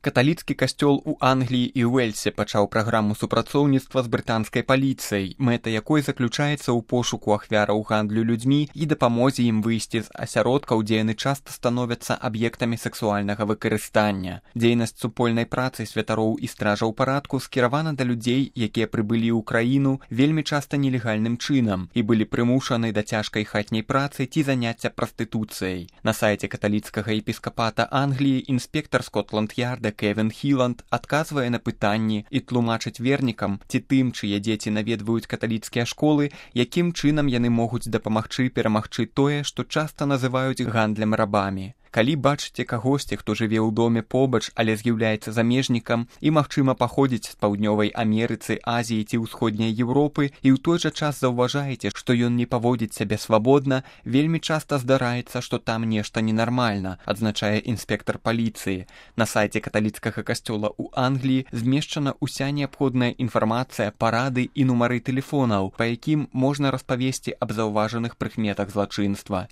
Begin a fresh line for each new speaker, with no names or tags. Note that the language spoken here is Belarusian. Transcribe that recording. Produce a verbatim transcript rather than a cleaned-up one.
Каталіцкі касцёл у Англіі і Уэльсе пачаў праграму супрацоўніцтва з брытанскай паліцыяй, мэта якой заключаецца ў пошуку ахвяраў гандлю людзьмі і дапамозе ім выйсці з асяродкаў, дзе яны часта становяцца аб'ектамі сэксуальнага выкарыстання. Дзейнасць супольнай працы святароў і стражаў парадку скіравана да людзей, якія прыбылі ў краіну вельмі часта нелегальным чынам і былі прымушаны да цяжкай хатняй працы ці заняцця прастытуцыяй. На сайце каталіцкага епіскапата Англіі інспектар Скотланд-Ярда Кевін Хіланд адказвае на пытанні і тлумачыць вернікам ці тым, чые дзеці наведваюць каталіцкія школы, якім чынам яны могуць дапамагчы перамагчы тое, што часта называюць гандлем рабамі. Калі бачыце кагосьці, хто жыве ў доме побач, але з'яўляецца замежнікам і, магчыма, паходзіць з паўднёвай Амерыцы, Азіі ці ўсходняй Еўропы і ў той жа час заўважаеце, што ён не паводзіць сябе свабодна, вельмі часта здараецца, што там нешта ненармальна, адзначае інспектар паліцыі. На сайце каталіцкага касцёла ў Англіі змешчана ўся неабходная інфармацыя, парады і нумары тэлефонаў, па якім можна распавесці аб заўважаных прыкметах злачынства.